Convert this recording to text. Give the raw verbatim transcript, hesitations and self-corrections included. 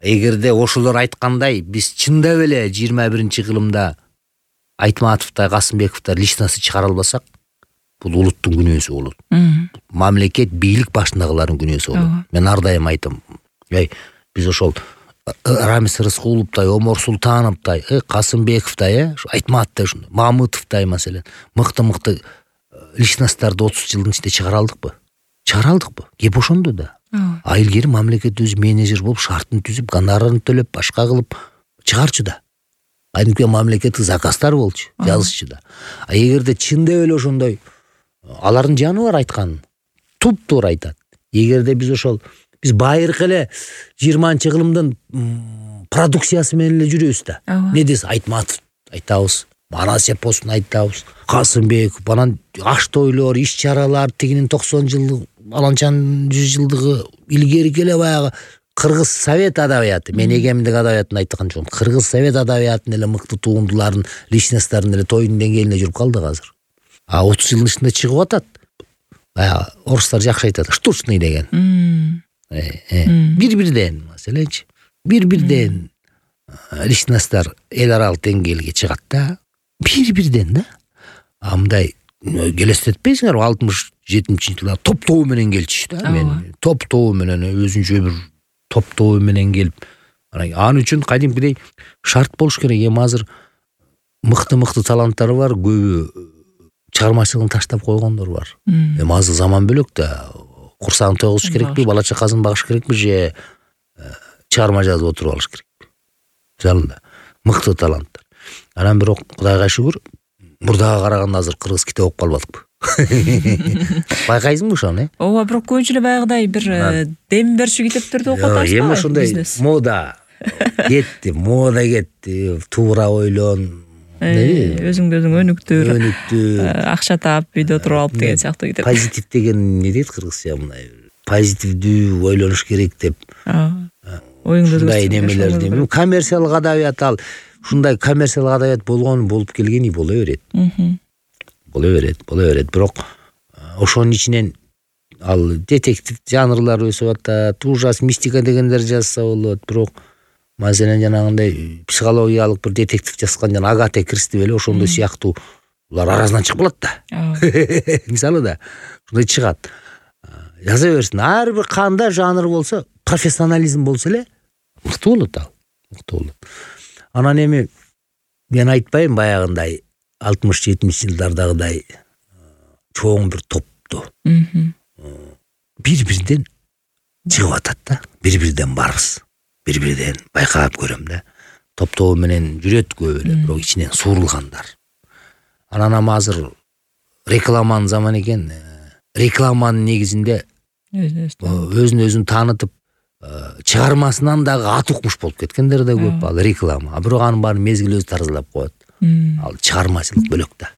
Эгерде ошолор айткандай биз чындап эле жыйырма биринчи кылымда Айтматовтай, Касымбековтай личности чыгара албасак, бул улуттун күнөөсү болот. Мамлекет бийлик башындагылардын күнөөсү болот. Мен ар дайым айтам, эй, биз ошол Рамис Рыскуловтай, Омор Султановтай, Касымбековтай, э, Айтматовтай, Мамытовтай маселен, мыкты-мыкты личностьтарды отуз жылдын ичинде чыгара алдыкпы? Чыгара алдыкпы? Кеп ошондо да. А илгери мамлекет өзү менеджер болуп, шартын түзүп, гонорарын төлөп, башка кылып чыгарчу да. Айнуке мамлекеттик заказдар болчу, жазычу да. А эгерде чындап эле ошондой, алардын жаны бар айткан, туп-туура айтат. Эгерде биз ошол биз байыркы эле жыйырманчы кылымдын продукциясы менен эле жүрөбүз да. Не десе Айтматов айтабыз, Манас эпосун айтабыз, Касымбеков, анан аш тойлор, иш чаралар, тигинин токсон жылдык, аланчанын жүз жылдыгы, илгерки эле баягы Кыргыз Совет адабияты, мен эгеминдик адабиятын айткан жокмун. Кыргыз Совет адабиятынын эле мыкты туундуларын, личностьтарын эле тойдун деңгээлине жүрүп калдык азыр. А отуз жылдын ичинде чыгып атат. Баягы орустар жакшы айтат, штучный деген. Бир-бирден маселенчи. Бир-бирден личностьтар эл аралык деңгээлге чыгат да. Бир-бирден да. А мындай келестетпейсиңерби, алтымыш жетинчи жылы топ-тобу менен келчү да. Мен топ-тобу менен өзүнчө бир топ-тобу менен келип, анан үчүн кадимкидей шарт болуш керек. Эми азыр мыкты-мыкты таланттар бар, көбү чыгармачылыгын таштап койгондор бар. Эми азыр заман бөлөк да. Курсагын тойгузуш керекпи, бала чакасын багыш керекпи же чыгарма жазып отуруп алыш керекпи? Жалында мыкты таланттар. Анан бирок Кудайга шүгүр, мурдага караганда азыр кыргыз китеп окуп калбадыкпы? Байкайсыңбы ошону, э? Ооба, бирок көбүнчө эле баягыдай бир дем берчү китептерди окуп атабыз. Эми ошондой мода кетти, мода кетти, туура ойлон, өзүңдү өзүң өнүктүр, өнүктүр, акча таап, үйдө туруп алып деген сыяктуу китеп. Позитив деген не дейт кыргызча, мындай позитивдүү ойлонуш керек деп. Оюңду ушундай немелерди, коммерциялык адабият ал, ушундай коммерциялык адабият болгон болуп келгени боло берет. Боло берет, боло берет. Бирок ошонун ичинен ал детектив жанрлар өсүп атат, ужас, мистика дегендер жазса болот. Бирок маселен жанагындай психологиялык бир детектив жазган жана Агата Кристи беле ошондой сыяктуу улар арасынан чыгып калат да. Мисалы да ушундай чыгат. Жаза берсин. Ар бир кандай жанр болсо, профессионализм болсо эле мыкты болот ал. Мыкты болот. Анан эми мен айтпайм баягындай алтымыш жетимиш жылдардагыдай чоң бир топту. Бир-бирден чыгып атат да. Бир-бирден барбыз. Бир-бирден байкап көрөм да. Топ-тобу менен жүрөт көп эле, бирок ичинен суурулгандар. Анан азыр рекламанын заманы экен. Рекламанын негизинде өзүн өзүн таанытып, чыгармасынан дагы ат укмуш болуп кеткендер да көп. Ал реклама. А бирок анын баарын мезгил өзү таразалап коет. Ал чыгармачылык бөлөк да.